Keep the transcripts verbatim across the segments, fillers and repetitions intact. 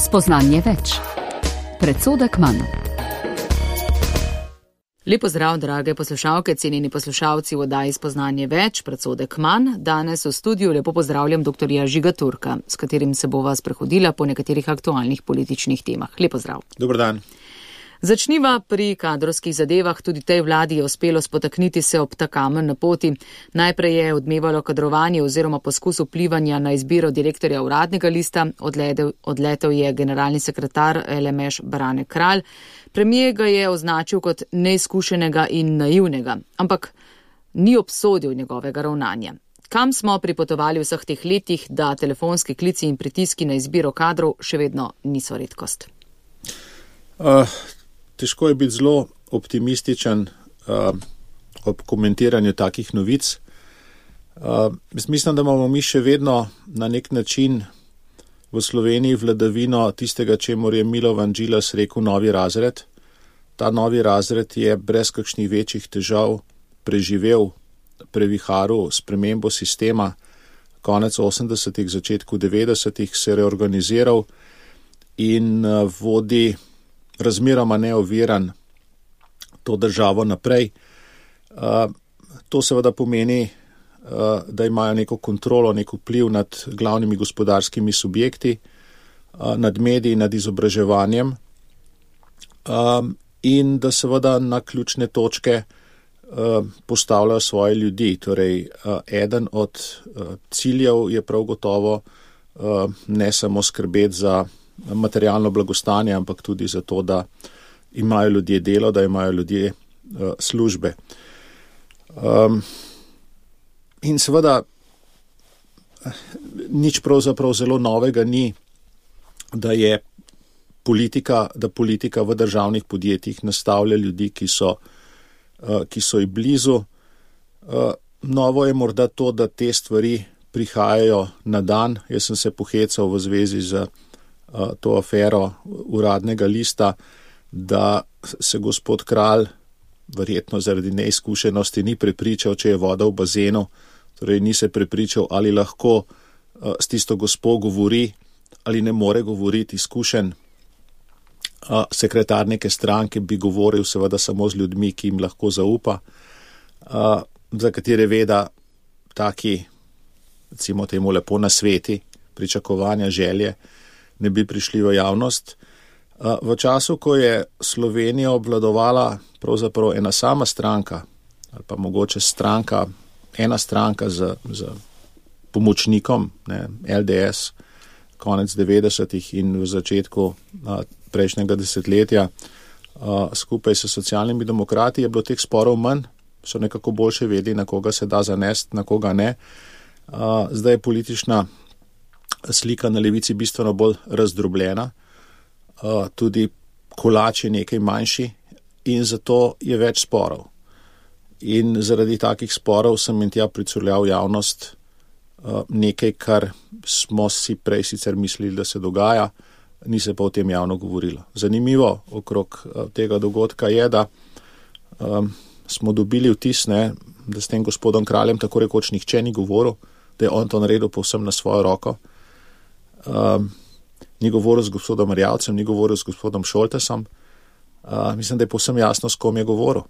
Spoznanje več. Predsodek manj. Lep pozdrav, drage poslušalke, cenjeni poslušalci v oddaji Spoznanje več, predsodek manj. Danes v studiu lepo pozdravljam doktorja Žiga Turka, s katerim se bova sprehodila po nekaterih aktualnih političnih temah. Lep pozdrav. Dober dan. Začniva pri kadrovskih zadevah. Tudi tej vladi je uspelo spotakniti se ob ta kamen na poti. Najprej je odmevalo kadrovanje oziroma poskus vplivanja na izbiro direktorja uradnega lista. Odletel, odletel je generalni sekretar L M Š Brane Kralj. Premijer ga je označil kot neizkušenega in naivnega, ampak ni obsodil njegovega ravnanja. Kam smo pripotovali v vseh teh letih, da telefonski klici in pritiski na izbiro kadrov še vedno niso redkost? Uh, težko je biti zelo optimističen uh, ob komentiranju takih novic. Uh, mislim, da imamo mi še vedno na nek način v Sloveniji vladavino tistega, čemur je Milovan Džilas rekel novi razred. Ta novi razred je brez kakšnih večjih težav preživel previharu spremembo sistema, konec osemdesetih, začetku devetdesetih se reorganiziral in uh, vodi razmeroma neoviran to državo naprej. Uh, to seveda pomeni, uh, da imajo neko kontrolo, nek vpliv nad glavnimi gospodarskimi subjekti, uh, nad mediji, nad izobraževanjem um, in da seveda na ključne točke uh, postavljajo svoje ljudi. Torej, uh, eden od uh, ciljev je prav gotovo uh, ne samo skrbeti za materialno blagostanje, ampak tudi zato, da imajo ljudje delo, da imajo ljudje uh, službe. Um, in seveda nič pravzaprav zelo novega ni, da je politika, da politika v državnih podjetjih nastavlja ljudi, ki so, uh, ki so ji blizu. Uh, novo je morda to, da te stvari prihajajo na dan. Jaz sem se pohecal v zvezi z to afero uradnega lista, da se gospod Kralj verjetno zaradi neizkušenosti ni prepričal, če je voda v bazenu, torej ni se prepričal, ali lahko s tisto gospo govori ali ne more govoriti. Izkušen sekretar neke stranke bi govoril seveda samo z ljudmi, ki jim lahko zaupa, za katere veda taki, recimo temu lepo nasveti, pričakovanja, želje, ne bi prišli v javnost. V času, ko je Slovenijo obvladovala pravzaprav ena sama stranka, ali pa mogoče stranka, ena stranka z, z pomočnikom, ne, L D S, konec devetdesetih in v začetku a, prejšnjega desetletja, a, skupaj s socialnimi demokrati, je bilo teh sporov manj, so nekako boljše vedeli, na koga se da zanesti, na koga ne. A, zdaj je politična slika na levici bistveno bolj razdrobljena, tudi kolač je nekaj manjši in zato je več sporov. In zaradi takih sporov sem in tja pricurljal javnost nekaj, kar smo si prej sicer mislili, da se dogaja, ni se pa o tem javno govorilo. Zanimivo okrog tega dogodka je, da um, smo dobili vtis, ne, da s tem gospodom Kraljem tako rekoč nihče ni govoril, da je on to naredil povsem na svojo roko. Um, ni govoril z gospodom Erjavcem, ni govoril z gospodom Šoltesom. Uh, mislim, da je povsem jasno, s kom je govoril.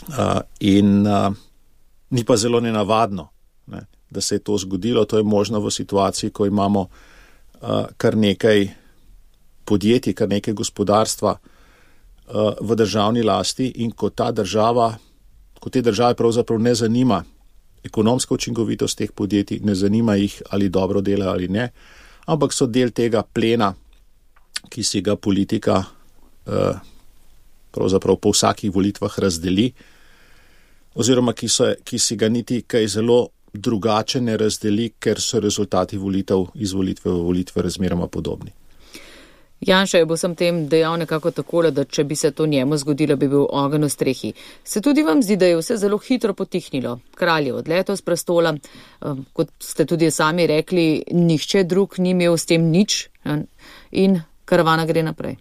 Uh, in uh, ni pa zelo nenavadno, ne, da se je to zgodilo. To je možno v situaciji, ko imamo uh, kar nekaj podjetij, kar nekaj gospodarstva uh, v državni lasti in ko ta država, ko te države pravzaprav ne zanima ekonomska učinkovitost teh podjetij, ne zanima jih, ali dobro delajo ali ne, ampak so del tega plena, ki si ga politika eh, pravzaprav po vsakih volitvah razdeli, oziroma ki, so, ki si ga niti kaj zelo drugače ne razdeli, ker so rezultati volitev iz volitve v volitve razmeroma podobni. Janša je bo sem tem dejal nekako takole, da če bi se to njemu zgodilo, bi bil ogenj v strehi. Se tudi vam zdi, da je vse zelo hitro potihnilo? Kralj je odletel z prestola, kot ste tudi sami rekli, nihče drug ni imel s tem nič in karavana gre naprej.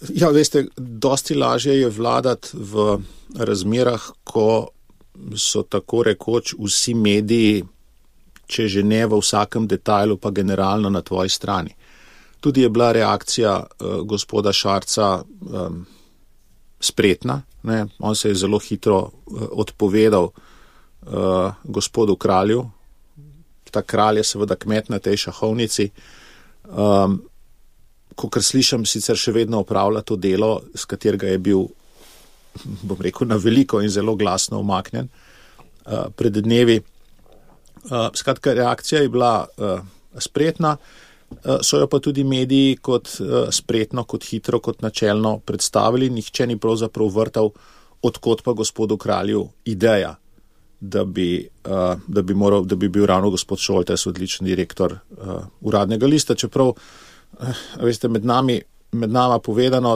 Ja, veste, dosti lažje je vladati v razmerah, ko so tako rekoč vsi mediji če že ne v vsakem detajlu, pa generalno na tvoji strani. Tudi je bila reakcija uh, gospoda Šarca um, spretna, ne? On se je zelo hitro uh, odpovedal uh, gospodu kralju. Ta kralj je seveda kmet na tej šahovnici. Um, Kakor slišam, sicer še vedno opravlja to delo, z katerega je bil, bom rekel, na veliko in zelo glasno umaknjen uh, pred dnevi. Uh, skratka, reakcija je bila uh, spretna, uh, so jo pa tudi mediji kot uh, spretno, kot hitro, kot načelno predstavili. Nihče ni pravzaprav vrtal, odkot pa gospodu kralju ideja, da bi, uh, da bi, moral, da bi bil ravno gospod Šoltes odličen direktor uh, Uradnega lista, čeprav veste, med nami, med nama povedano,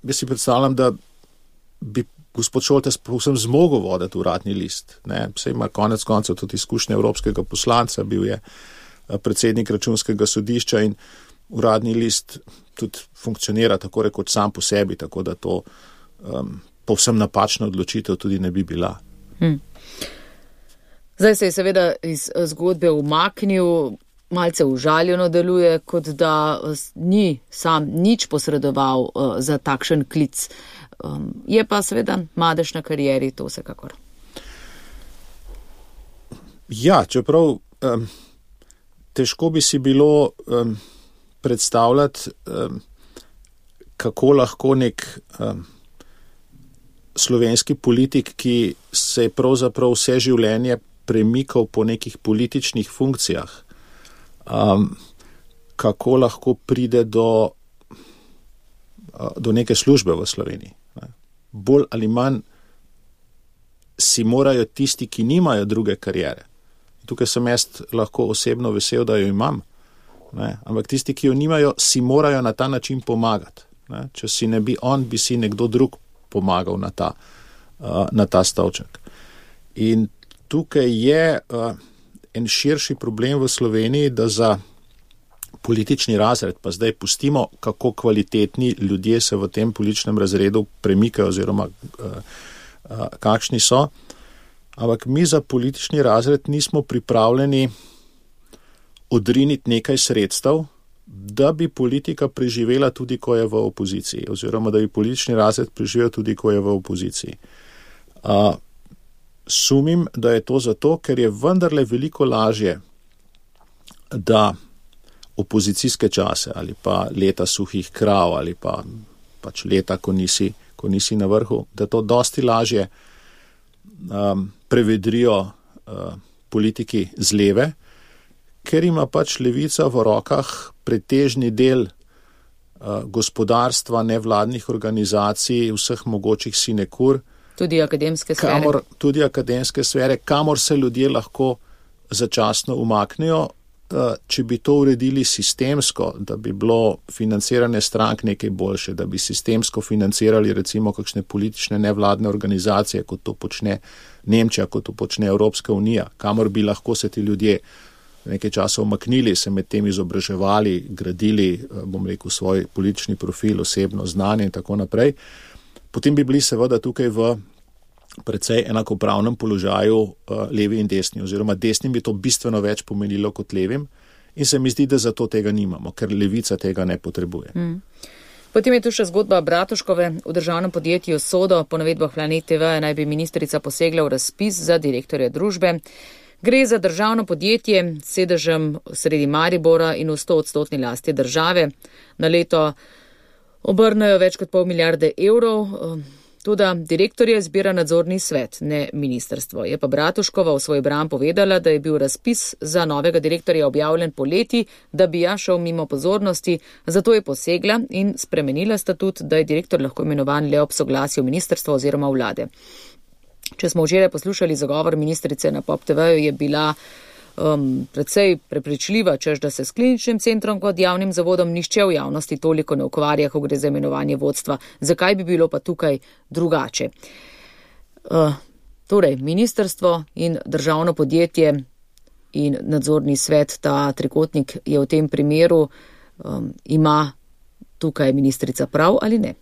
jaz si predstavljam, da bi gospod Šoltes povsem zmogel voditi Uradni list. Ne? Saj ima konec koncev tudi izkušnje evropskega poslanca, bil je predsednik Računskega sodišča in Uradni list tudi funkcionira tako rekoč sam po sebi, tako da to um, povsem napačna odločitev tudi ne bi bila. Hmm. Zdaj se je seveda iz zgodbe umaknil, malce užaljeno deluje, kot da ni sam nič posredoval uh, za takšen klic. Um, je pa seveda madež na karieri, to vsekakor. Ja, čeprav um, težko bi si bilo um, predstavljati, um, kako lahko nek um, slovenski politik, ki se je pravzaprav vse življenje premikal po nekih političnih funkcijah, Um, kako lahko pride do, do neke službe v Sloveniji. Ne. Bolj ali manj si morajo tisti, ki nimajo druge kariere. Tukaj sem jaz lahko osebno vesel, da jo imam. Ne. Ampak tisti, ki jo nimajo, si morajo na ta način pomagati. Ne. Če si ne bi on, bi si nekdo drug pomagal na ta, uh, na ta stolček. In tukaj je uh, en širši problem v Sloveniji, da za politični razred, pa zdaj pustimo, kako kvalitetni ljudje se v tem političnem razredu premikajo oziroma uh, uh, kakšni so, ampak mi za politični razred nismo pripravljeni odriniti nekaj sredstev, da bi politika preživela tudi, ko je v opoziciji, oziroma da bi politični razred preživel tudi, ko je v opoziciji. Uh, Sumim, da je to zato, ker je vendarle veliko lažje, da opozicijske čase ali pa leta suhih krav ali pa pač leta, ko nisi, ko nisi na vrhu, da to dosti lažje um, prevedrijo uh, politiki z leve, ker ima pač levica v rokah pretežni del uh, gospodarstva, nevladnih organizacij, vseh mogočih sinekur, Tudi akademske sfere. Kamor, tudi akademske sfere, kamor se ljudje lahko začasno umaknejo, če bi to uredili sistemsko, da bi bilo financiranje strank nekaj boljše, da bi sistemsko financirali recimo kakšne politične nevladne organizacije, kot to počne Nemčija, kot to počne Evropska unija, kamor bi lahko se ti ljudje nekaj časa umaknili, se med tem izobraževali, gradili, bom rekel, svoj politični profil, osebno znanje in tako naprej. Potem bi bili seveda tukaj v precej enakopravnem položaju uh, levi in desni, oziroma desnim bi to bistveno več pomenilo kot levim in se mi zdi, da zato tega nimamo, ker levica tega ne potrebuje. Mm. Potem je tu še zgodba Bratuškove. V državnem podjetju Sodo, po navedbah Planet T V, naj bi ministrica posegla v razpis za direktorja družbe. Gre za državno podjetje s sedežem sredi Maribora in v sto odstotni lasti države. Na leto obrnejo več kot pol milijarde evrov, tudi direktorje izbira nadzorni svet, ne ministrstvo. Je pa Bratuškova v svoj bran povedala, da je bil razpis za novega direktorja objavljen poleti, da bi ja šel mimo pozornosti, zato je posegla in spremenila statut, da je direktor lahko imenovan le ob soglasju ministrstva oziroma vlade. Če smo včeraj poslušali zagovor ministrice na Pop T V-ju, je bila Um, predvsej prepričljiva, češ da se s kliničnim centrom kot javnim zavodom nišče v javnosti toliko ne ukvarja, ko gre za imenovanje vodstva. Zakaj bi bilo pa tukaj drugače? Uh, torej, ministrstvo in državno podjetje in nadzorni svet, ta trikotnik je v tem primeru, um, ima tukaj ministrica prav ali ne?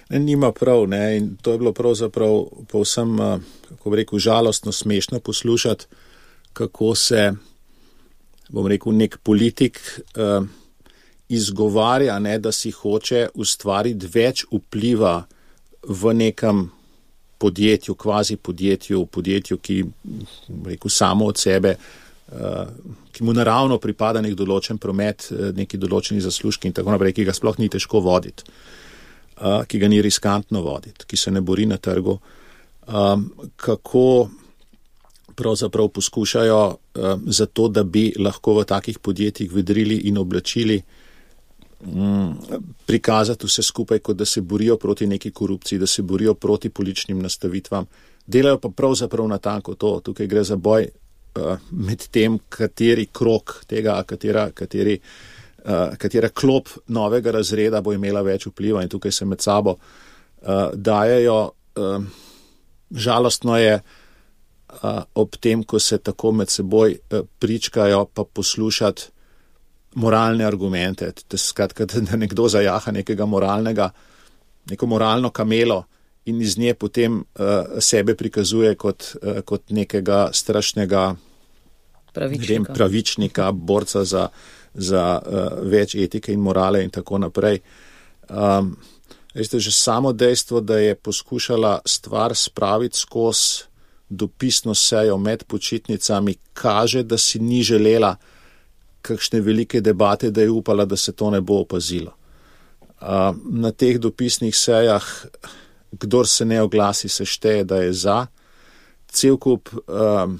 Ne, nima prav, ne, in to je bilo pravzaprav povsem, kako bi rekel, žalostno, smešno poslušati, kako se, bom rekel, nek politik uh, izgovarja, ne, da si hoče ustvariti več vpliva v nekem podjetju, kvazi podjetju, podjetju, ki, rekel, samo od sebe, uh, ki mu naravno pripada nek določen promet, neki določeni zaslužki in tako naprej, ki ga sploh ni težko voditi, uh, ki ga ni riskantno voditi, ki se ne bori na trgu. Um, kako pravzaprav poskušajo um, za to, da bi lahko v takih podjetjih vedrili in oblačili, prikazati vse skupaj, kot da se borijo proti neki korupciji, da se borijo proti političnim nastavitvam. Delajo pa pravzaprav natanko to. Tukaj gre za boj uh, med tem, kateri krok tega, katera, kateri, uh, katera klop novega razreda bo imela več vpliva in tukaj se med sabo uh, dajejo. Uh, žalostno je uh, ob tem, ko se tako med seboj uh, pričkajo, pa poslušati moralne argumente, da, skratka, da nekdo zajaha nekega moralnega, neko moralno kamelo in iz nje potem uh, sebe prikazuje kot, uh, kot nekega strašnega pravičnika, vem, pravičnika borca za, za uh, več etike in morale in tako naprej. Um, veste, že samo dejstvo, da je poskušala stvar spraviti skozi dopisno sejo med počitnicami, kaže, da si ni želela kakšne velike debate, da je upala, da se to ne bo opazilo. Uh, na teh dopisnih sejah, kdor se ne oglasi, se šteje, da je za. Cel kup uh,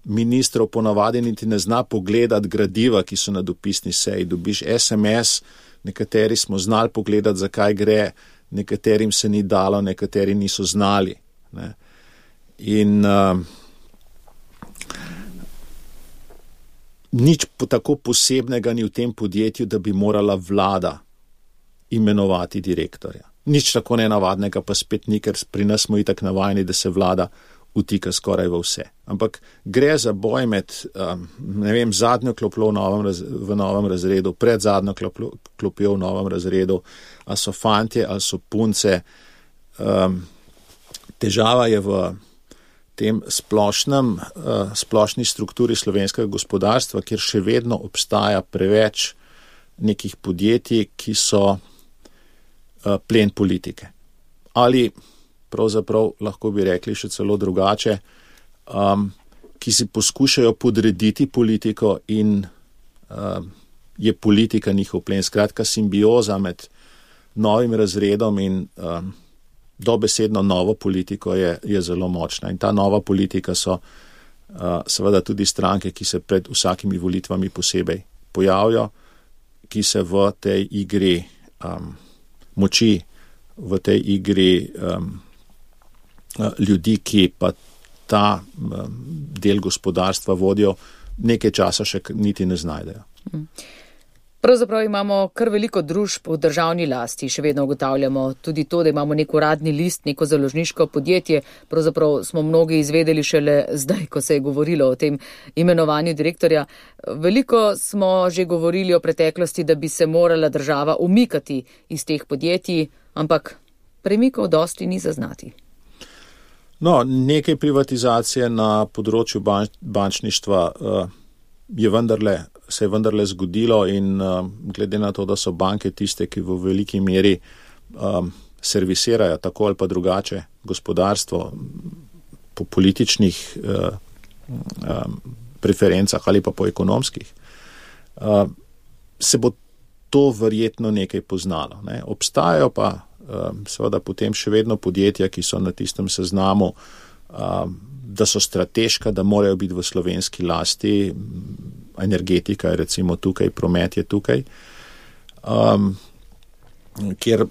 ministrov ponavadi niti ne zna pogledati gradiva, ki so na dopisni seji. Dobiš es em es, nekateri smo znali pogledati, zakaj gre, nekaterim se ni dalo, nekateri niso znali. Ne? In uh, nič po tako posebnega ni v tem podjetju, da bi morala vlada imenovati direktorja. Nič tako nenavadnega pa spet ni, ker pri nas smo itak navajeni, da se vlada vtika skoraj v vse. Ampak gre za boj med, um, ne vem, zadnjo klopjo v novem, raz, v novem razredu, pred zadnjo klopjo, klopjo v novem razredu, a so fantje, a so punce. Um, težava je v tem splošnem, uh, splošni strukturi slovenskega gospodarstva, kjer še vedno obstaja preveč nekih podjetij, ki so uh, plen politike. Ali pravzaprav lahko bi rekli še celo drugače, um, ki si poskušajo podrediti politiko in uh, je politika njihov plen. Skratka, simbioza med novim razredom in um, dobesedno novo politiko je, je zelo močna. In ta nova politika so uh, seveda tudi stranke, ki se pred vsakimi volitvami posebej pojavijo, ki se v tej igri um, moči, v tej igri um, ljudi, ki pa ta um, del gospodarstva vodijo, nekaj časa še niti ne znajdejo. Mm. Pravzaprav imamo kar veliko družb v državni lasti, še vedno ugotavljamo tudi to, da imamo nek uradni list, neko založniško podjetje. Pravzaprav smo mnogi izvedeli šele zdaj, ko se je govorilo o tem imenovanju direktorja. Veliko smo že govorili o preteklosti, da bi se morala država umikati iz teh podjetij, ampak premikov dosti ni zaznati. No, nekaj privatizacije na področju banč, bančništva uh, je vendarle se je vendarle zgodilo in uh, glede na to, da so banke tiste, ki v veliki meri um, servisirajo tako ali pa drugače gospodarstvo po političnih uh, um, preferencah ali pa po ekonomskih, uh, se bo to verjetno nekaj poznalo. Ne? Obstajajo pa uh, seveda potem še vedno podjetja, ki so na tistem seznamu, uh, da so strateška, da morajo biti v slovenski lasti. Energetika je recimo tukaj, promet je tukaj, um, kjer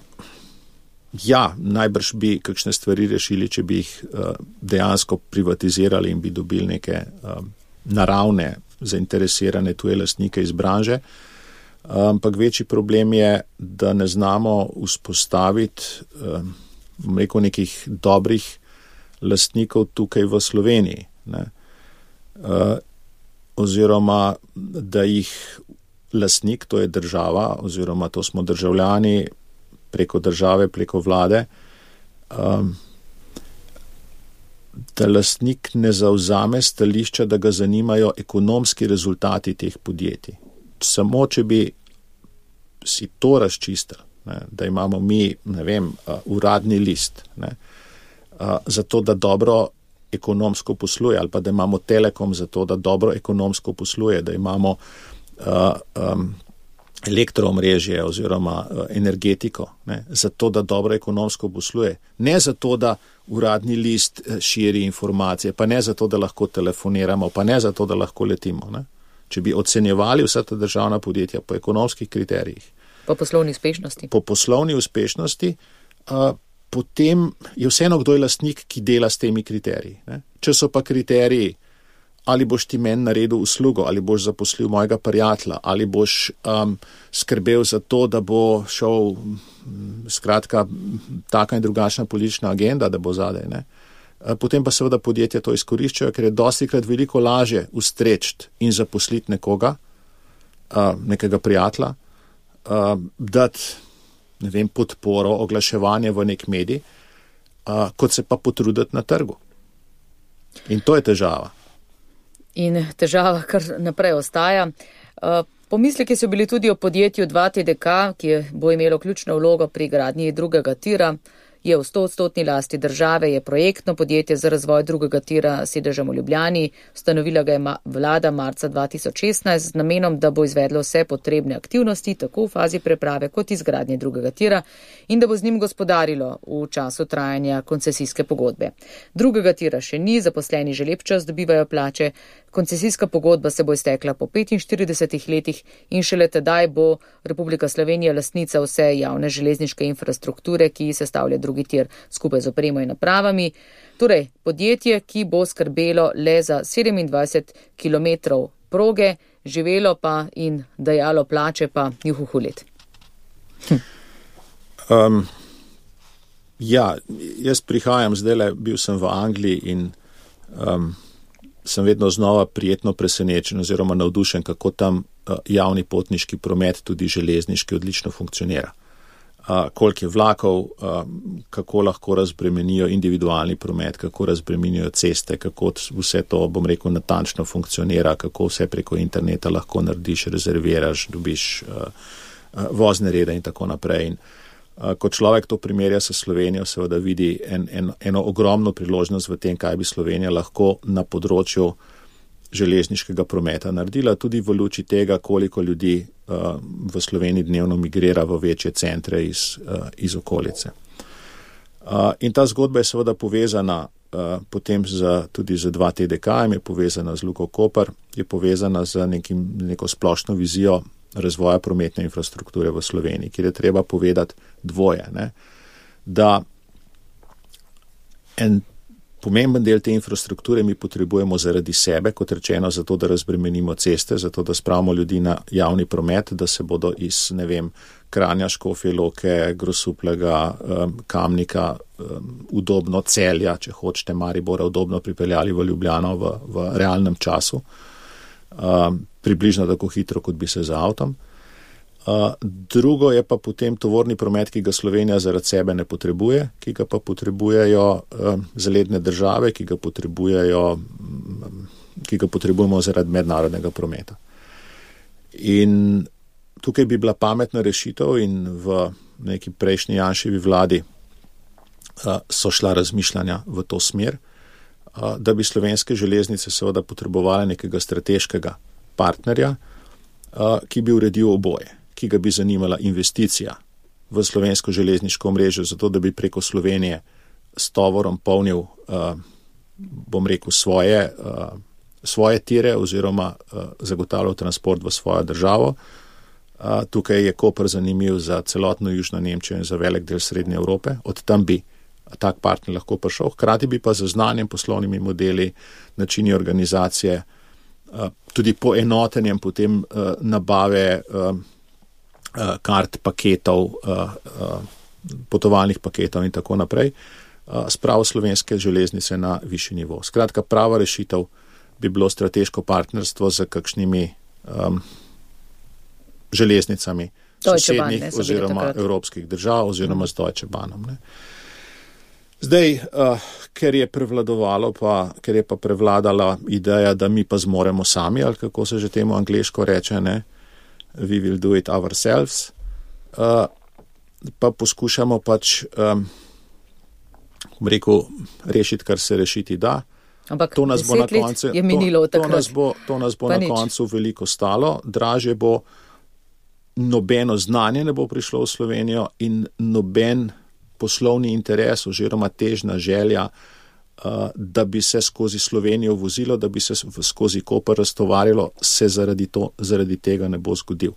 ja, najbrž bi kakšne stvari rešili, če bi jih uh, dejansko privatizirali in bi dobili neke um, naravne, zainteresirane tuje lastnike iz branže. Ampak um, večji problem je, da ne znamo vzpostaviti um, rekel, nekih dobrih lastnikov tukaj v Sloveniji. Ne? Uh, oziroma da jih lastnik, to je država, oziroma to smo državljani preko države, preko vlade, um, da lastnik ne zavzame stališča, da ga zanimajo ekonomski rezultati teh podjetij. Samo, če bi si to razčistili, ne, da imamo mi, ne vem, uh, uradni list, ne, uh, zato, da dobro ekonomsko posluje, ali pa da imamo Telekom zato, da dobro ekonomsko posluje, da imamo uh, um, elektroomrežje oziroma uh, energetiko, ne, zato, da dobro ekonomsko posluje. Ne zato, da uradni list širi informacije, pa ne zato, da lahko telefoniramo, pa ne zato, da lahko letimo. Ne. Če bi ocenjevali vsa ta državna podjetja po ekonomskih kriterijih. Po poslovni uspešnosti. Po poslovni uspešnosti, uh, potem je vseeno, kdo je lastnik, ki dela s temi kriteriji. Ne. Če so pa kriteriji, ali boš ti meni naredil uslugo, ali boš zaposlil mojega prijatelja, ali boš um, skrbel za to, da bo šel, skratka, taka in drugačna politična agenda, da bo zadaj, ne. Potem pa seveda podjetja to izkoriščajo, ker je dostikrat veliko lažje ustreči in zaposliti nekoga, nekega prijatelja, dati, ne vem, podporo, oglaševanje v nek medij, kot se pa potruditi na trgu. In to je težava. In težava kar naprej ostaja. Pomisleki so bili tudi o podjetju dva T D K, ki bo imelo ključno vlogo pri gradnji drugega tira. Je v stoodstotni lasti države, je projektno podjetje za razvoj drugega tira s sedežem v Ljubljani. Ustanovila ga je vlada marca dva tisoč šestnajst z namenom, da bo izvedlo vse potrebne aktivnosti, tako v fazi preprave kot izgradnje drugega tira in da bo z njim gospodarilo v času trajanja koncesijske pogodbe. Drugega tira še ni, zaposleni že lep čas dobivajo plače. Koncesijska pogodba se bo iztekla po petinštiridesetih letih in šele tedaj bo Republika Slovenija lastnica vse javne železniške infrastrukture, ki sestavlja drugi tir skupaj z opremo in napravami. Torej, podjetje, ki bo skrbelo le za sedemindvajset kilometrov proge, živelo pa in dajalo plače pa juhuhu let. Hm. Um, ja, jaz prihajam zdajle, bil sem v Angliji in um, sem vedno znova prijetno presenečen oziroma navdušen, kako tam uh, javni potniški promet, tudi železniški, odlično funkcionira. Uh, koliko je vlakov, uh, kako lahko razbremenijo individualni promet, kako razbremenijo ceste, kako vse to, bom rekel, natančno funkcionira, kako vse preko interneta lahko narediš, rezerviraš, dobiš uh, uh, vozne rede in tako naprej. In, uh, ko človek to primerja s Slovenijo, seveda vidi en, en, eno ogromno priložnost v tem, kaj bi Slovenija lahko na področju železniškega prometa naredila, tudi v luči tega, koliko ljudi uh, v Sloveniji dnevno migrira v večje centre iz, uh, iz okolice. Uh, in ta zgodba je seveda povezana uh, potem z, tudi z dva T D K-jem, je povezana z Luko Koper, je povezana z nekim, neko splošno vizijo razvoja prometne infrastrukture v Sloveniji, kjer je treba povedati dvoje, ne? Da en pomemben del te infrastrukture mi potrebujemo zaradi sebe, kot rečeno, zato, da razbremenimo ceste, zato, da spravimo ljudi na javni promet, da se bodo iz, ne vem, Kranja, Škofje Loke, Grosuplega, um, Kamnika, um, udobno Celja, če hočete, Maribora, udobno pripeljali v Ljubljano v, v realnem času, um, približno tako hitro, kot bi se z avtom. Uh, drugo je pa potem tovorni promet, ki ga Slovenija zaradi sebe ne potrebuje, ki ga pa potrebujejo uh, zaledne države, ki ga potrebujejo, um, ki ga potrebujemo zaradi mednarodnega prometa. In tukaj bi bila pametna rešitev in v neki prejšnji Janševi vladi uh, so šla razmišljanja v to smer, uh, da bi slovenske železnice seveda potrebovale nekega strateškega partnerja, uh, ki bi uredil oboje, ki ga bi zanimala investicija v slovensko železniško omrežje, zato da bi preko Slovenije s tovorom polnil, uh, bom rekel, svoje, uh, svoje tire oziroma uh, zagotavljal transport v svojo državo. Uh, tukaj je Koper zanimiv za celotno Južno Nemčijo in za velik del Srednje Evrope. Od tam bi tak partner lahko prišel. Hkrati bi pa z znanjem, poslovnimi modeli, načini organizacije, uh, tudi poenotenjem potem uh, nabave uh, kart, paketov, potovalnih paketov in tako naprej, spravil slovenske železnice na višji nivo. Skratka, prava rešitev bi bilo strateško partnerstvo z kakšnimi um, železnicami sosednjih oziroma evropskih držav oziroma z Deutsche Bahnom. Ne. Zdaj, uh, ker je prevladovalo, pa, ker je pa prevladala ideja, da mi pa zmoremo sami, ali kako se že temu angleško reče, ne, we will do it ourselves, uh, pa poskušamo pač, um, rekel, rešiti, kar se rešiti da. Ampak to nas bo na koncu, je minilo to, to nas bo, to nas bo na nič. koncu veliko stalo, dražje bo, nobeno znanje ne bo prišlo v Slovenijo in noben poslovni interes oziroma težna želja, uh, da bi se skozi Slovenijo vozilo, da bi se skozi Koper raztovarilo, se zaradi, to, zaradi tega ne bo zgodil.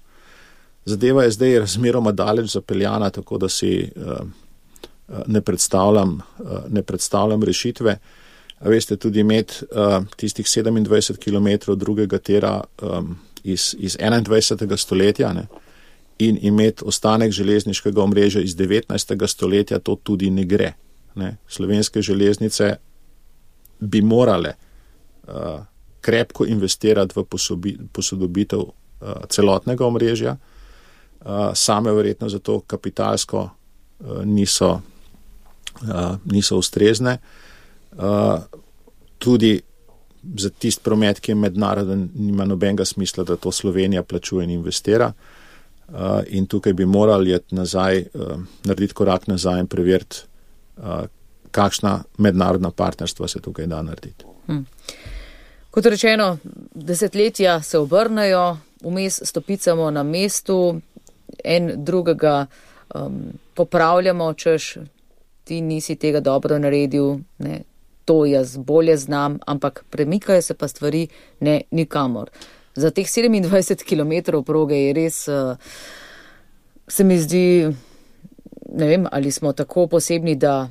Zadeva je zdaj razmeroma daleč zapeljana, tako da si uh, ne predstavljam, uh, ne predstavljam rešitve. A veste, tudi imeti uh, tistih sedemindvajset kilometrov drugega tira um, iz, iz enaindvajsetega stoletja, ne, in imeti ostanek železniškega omrežja iz devetnajstega stoletja, to tudi ne gre. Ne. Slovenske železnice bi morale uh, krepko investirati v posobi, posodobitev uh, celotnega omrežja, uh, same verjetno zato kapitalsko uh, niso, uh, niso ustrezne. Uh, tudi za tist promet, ki je mednaroden, nima nobenega smisla, da to Slovenija plačuje in investira. Uh, in tukaj bi morali jeti nazaj, uh, narediti korak nazaj in preveriti, uh, kakšna mednarodna partnerstva se tukaj da narediti. Hmm. Kot rečeno, desetletja se obrnejo, vmes stopicamo na mestu, en drugega um, popravljamo, češ ti nisi tega dobro naredil, ne, to jaz bolje znam, ampak premikajo se pa stvari ne nikamor. Za teh sedemindvajset kilometrov proge je res, uh, se mi zdi, ne vem, ali smo tako posebni, da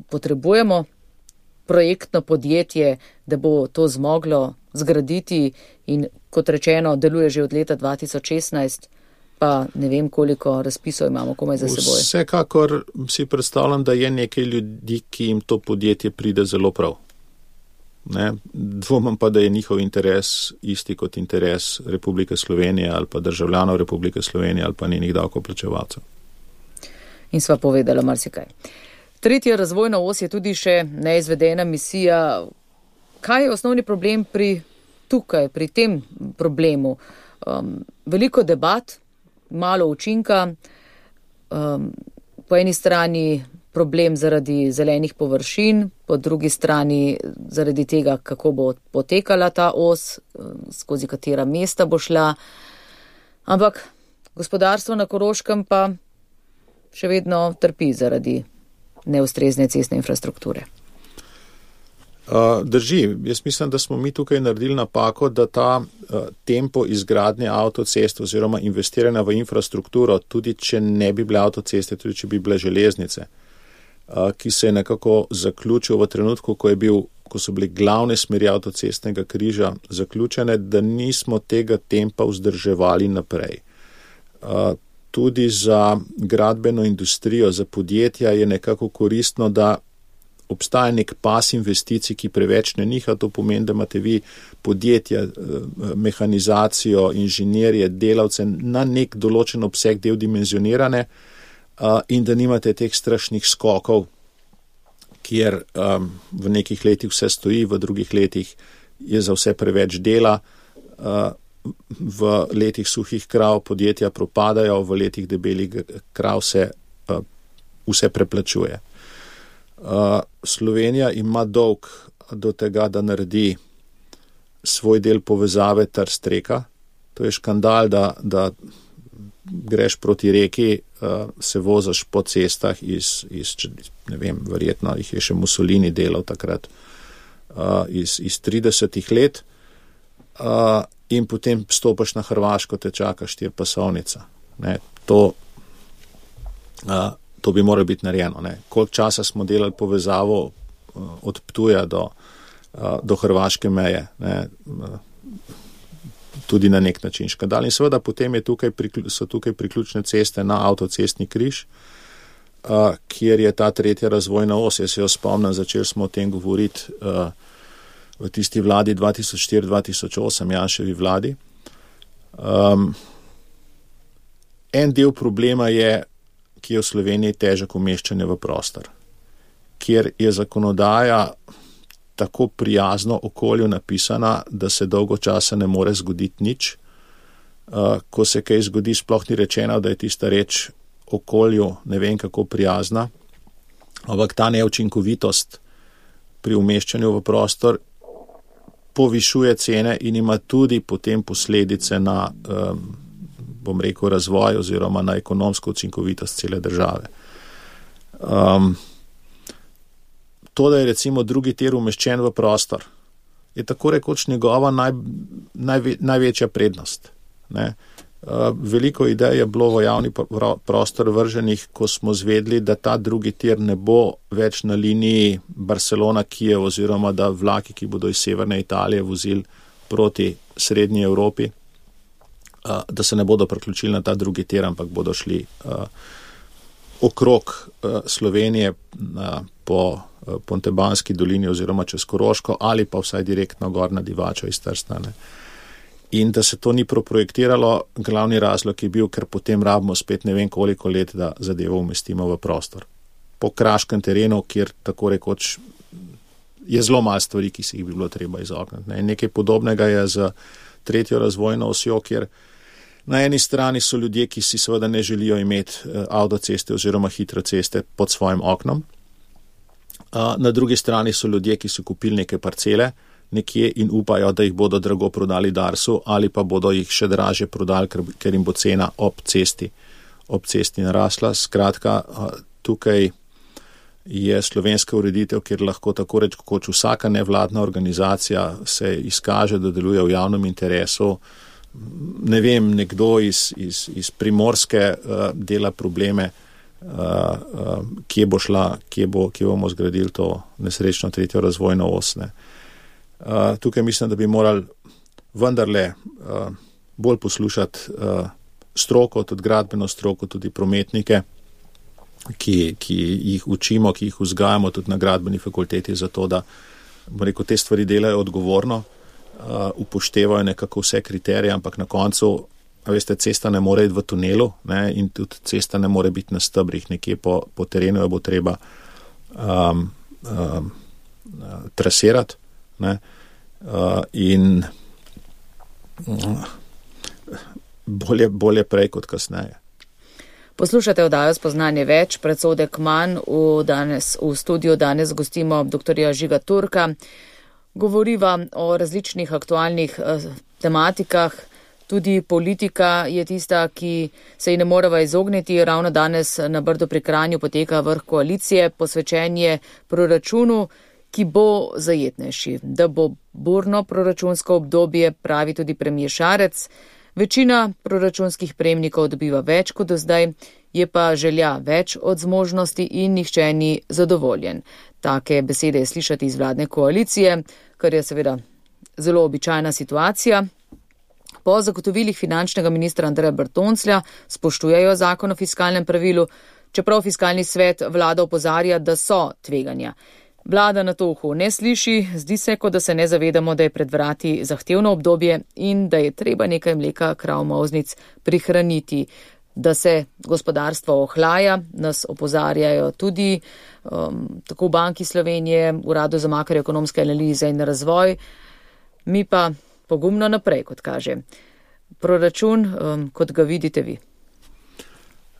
potrebujemo projektno podjetje, da bo to zmoglo zgraditi in kot rečeno, deluje že od leta dva tisoč šestnajst, pa ne vem, koliko razpisov imamo komaj za seboj. Vsekakor si predstavljam, da je nekaj ljudi, ki jim to podjetje pride zelo prav. Ne? Dvomim pa, da je njihov interes isti kot interes Republike Slovenije ali pa državljanov Republike Slovenije ali pa njenih davkoplačevalcev. In sva povedala marsikaj. Tretja razvojna os je tudi še neizvedena misija. Kaj je osnovni problem pri tukaj, pri tem problemu? Um, veliko debat, malo učinka, um, po eni strani problem zaradi zelenih površin, po drugi strani zaradi tega, kako bo potekala ta os, skozi katera mesta bo šla. Ampak gospodarstvo na Koroškem pa še vedno trpi zaradi neustrezne cestne infrastrukture. Uh, drži, jaz mislim, da smo mi tukaj naredili napako, da ta uh, tempo izgradnje avtocest oziroma investiranja v infrastrukturo, tudi če ne bi bile avtoceste, tudi če bi bile železnice, uh, ki se je nekako zaključil v trenutku, ko je bil, ko so bili glavne smeri avtocestnega križa zaključene, da nismo tega tempa vzdrževali naprej. Uh, tudi za gradbeno industrijo, za podjetja je nekako koristno, da obstaja nek pas investicij, ki preveč ne niha, to pomeni, da imate vi podjetja, mehanizacijo, inženirje, delavce na nek določen obseg del dimenzionirane in da nimate teh strašnih skokov, kjer v nekih letih vse stoji, v drugih letih je za vse preveč dela, v letih suhih krav podjetja propadajo, v letih debelih krav se vse preplačuje. Uh, Slovenija ima dolg do tega, da naredi svoj del povezave Trst-Reka. To je škandal, da, da greš proti reki, uh, se vozaš po cestah iz, iz, ne vem, verjetno jih je še Mussolini delal takrat, uh, iz, iz tridesetih let uh, in potem stopaš na Hrvaško, te čaka štirpasovnica. Ne, to uh, To bi moralo biti narejeno. Ne. Koliko časa smo delali povezavo uh, od Ptuja do, uh, do hrvaške meje, ne, uh, tudi na nek način škandal. In seveda potem je tukaj, so tukaj priključne ceste na avtocestni križ, uh, kjer je ta tretja razvojna os. Jaz se jo spomnim, začeli smo o tem govoriti uh, v tisti vladi dva tisoč štiri dva tisoč osem, Janševi vladi. Um, en del problema je, ki je v Sloveniji težek umeščanje v prostor, kjer je zakonodaja tako prijazno okolju napisana, da se dolgo časa ne more zgoditi nič. Ko se kaj zgodi, sploh ni rečeno, da je tista reč okolju ne vem kako prijazna, ampak ta neučinkovitost pri umeščanju v prostor povišuje cene in ima tudi potem posledice na, bom rekel, razvoj oziroma na ekonomsko učinkovitost cele države. Um, to, da je recimo drugi tir umeščen v prostor, je tako rekoč njegova naj, najve, največja prednost. Ne? Uh, veliko idej je bilo v javni prostor vrženih, ko smo zvedli, da ta drugi tir ne bo več na liniji Barcelona-Kijev oziroma da vlaki, ki bodo iz severne Italije vozili proti srednji Evropi, uh, da se ne bodo priključili na ta drugi tir, ampak bodo šli uh, okrog uh, Slovenije uh, po uh, Pontebanski dolini oziroma čez Koroško ali pa vsaj direktno gor na Divačo iz Trsta. Ne? In da se to ni proprojektiralo, glavni razlog je bil, ker potem rabimo spet ne vem koliko let, da zadevo umestimo v prostor. Po kraškem terenu, kjer tako rekoč je zelo malo stvari, ki si jih bi bilo treba izogniti. Ne? Nekaj podobnega je z tretjo razvojno osjo, kjer na eni strani so ljudje, ki si seveda ne želijo imeti avtoceste oziroma hitro ceste pod svojim oknom. Na drugi strani so ljudje, ki so kupili neke parcele nekje in upajo, da jih bodo drago prodali Darsu ali pa bodo jih še draže prodali, ker, ker jim bo cena ob cesti, ob cesti narasla. Skratka, tukaj je slovenska ureditev, kjer lahko tako reč kot vsaka nevladna organizacija se izkaže, da deluje v javnem interesu. Ne vem, nekdo iz, iz, iz Primorske uh, dela probleme, uh, uh, kje bo šla, kje, bo, kje bomo zgradili to nesrečno tretjo razvojno os. Ne. Uh, tukaj mislim, da bi morali vendarle uh, bolj poslušati uh, stroko, tudi gradbeno stroko, tudi prometnike, ki, ki jih učimo, ki jih vzgajamo tudi na gradbeni fakulteti, zato da, bom rekel, te stvari delajo odgovorno, uh, upoštevajo nekako vse kriterije, ampak na koncu, veste, cesta ne more iti v tunelu, ne, in tudi cesta ne more biti na stebrih, nekje po, po terenu jo bo treba um, um, trasirati. Ne, uh, in uh, bolje, bolje prej kot kasneje. Poslušate oddajo Spoznanje več, predsodek manj. V, danes, v studiu danes gostimo doktorja Žiga Turka. Govoriva o različnih aktualnih uh, tematikah. Tudi politika je tista, ki se ji ne moreva izogniti. Ravno danes na Brdu pri Kranju poteka vrh koalicije, posvečenje proračunu, ki bo zajetnejši, da bo burno proračunsko obdobje, pravi tudi premier Šarec. Večina proračunskih prejemnikov dobiva več kot do zdaj, je pa želja več od zmožnosti in nihče ni zadovoljen. Take besede je slišati iz vladne koalicije, kar je seveda zelo običajna situacija. Po zagotovilih finančnega ministra Andreja Bertonclja spoštujejo zakon o fiskalnem pravilu, čeprav fiskalni svet vlada opozarja, da so tveganja. Vlada na to uho ne sliši, zdi se, kot da se ne zavedamo, da je pred vrati zahtevno obdobje in da je treba nekaj mleka, krav, molznic prihraniti. Da se gospodarstvo ohlaja, nas opozarjajo tudi um, tako v Banki Slovenije, Uradu za makroekonomske analize in razvoj. Mi pa pogumno naprej, kot kaže. Proračun, um, kot ga vidite vi?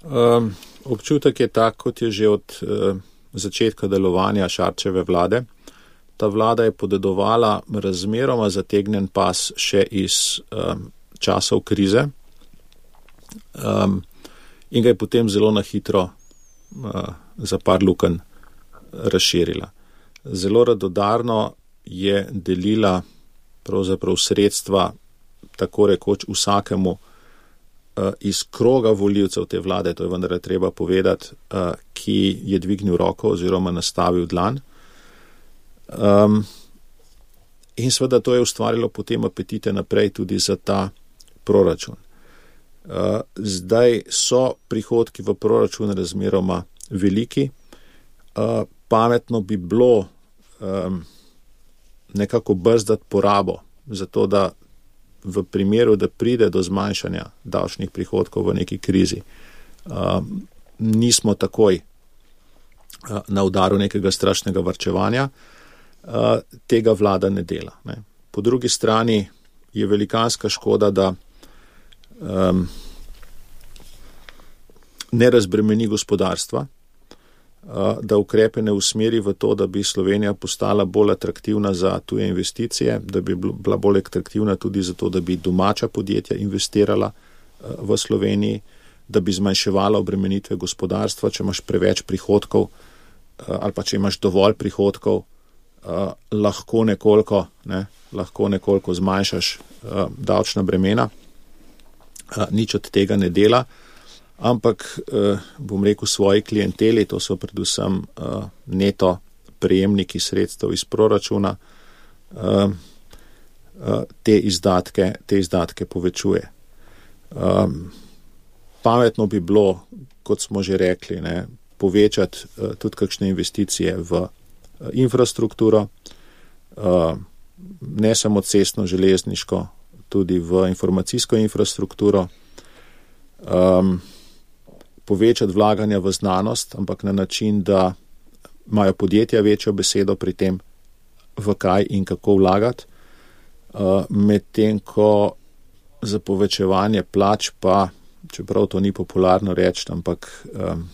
Um, občutek je tak, kot je že od uh, začetka delovanja Šarčeve vlade. Ta vlada je podedovala razmeroma zategnen pas še iz um, časov krize um, in ga je potem zelo na hitro uh, za par lukenj razširila. Zelo radodarno je delila pravzaprav sredstva tako rekoč vsakemu iz kroga volivcev te vlade, to je vendar treba povedati, ki je dvignil roko oziroma nastavil dlan. Um, in seveda to je ustvarilo potem apetite naprej tudi za ta proračun. Uh, zdaj so prihodki v proračun razmeroma veliki. Uh, pametno bi bilo um, nekako brzdati porabo, zato da v primeru, da pride do zmanjšanja davčnih prihodkov v neki krizi, um, nismo takoj na udaru nekega strašnega varčevanja, tega vlada ne dela. Ne. Po drugi strani je velikanska škoda, da um, ne razbremeni gospodarstva, da ukrepe ne usmeri v to, da bi Slovenija postala bolj atraktivna za tuje investicije, da bi bila bolj atraktivna tudi za to, da bi domača podjetja investirala v Sloveniji, da bi zmanjševala obremenitve gospodarstva, če imaš preveč prihodkov ali pa če imaš dovolj prihodkov, lahko nekoliko, ne, lahko nekoliko zmanjšaš davčna bremena. Nič od tega ne dela. Ampak, bom rekel, svoji klienteli, to so predvsem neto prejemniki sredstev iz proračuna, te izdatke, te izdatke povečuje. Pametno bi bilo, kot smo že rekli, ne, povečati tudi kakšne investicije v infrastrukturo, ne samo cestno, železniško, tudi v informacijsko infrastrukturo, povečati vlaganja v znanost, ampak na način, da imajo podjetja večjo besedo pri tem, v kaj in kako vlagati, medtem ko za povečevanje plač pa, čeprav to ni popularno reči, ampak um,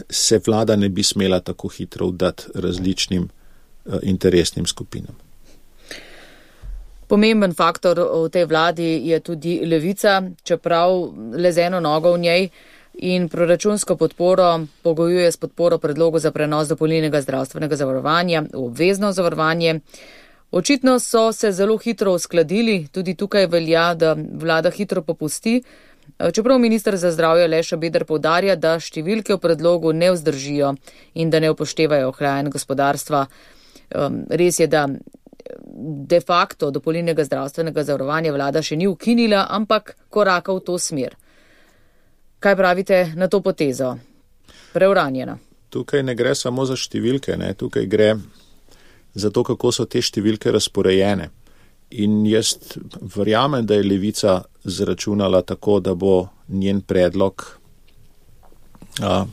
se vlada ne bi smela tako hitro vdati različnim uh, interesnim skupinam. Pomemben faktor v tej vladi je tudi Levica, čeprav le z eno nogo v njej, in proračunsko podporo pogojuje s podporo predlogu za prenos dopolnilnega zdravstvenega zavarovanja v obvezno zavarovanje. Očitno so se zelo hitro uskladili, tudi tukaj velja, da vlada hitro popusti, čeprav minister za zdravje Aleš Šabeder poudarja, da številke v predlogu ne vzdržijo in da ne upoštevajo ohlajanj gospodarstva. Res je, da de facto dopolnilnega zdravstvenega zavarovanja vlada še ni ukinila, ampak koraka v to smer. Kaj pravite na to potezo? Preuranjena. Tukaj ne gre samo za številke, ne? Tukaj gre za to, kako so te številke razporejene. In jaz verjamem, da je Levica zračunala tako, da bo njen predlog a,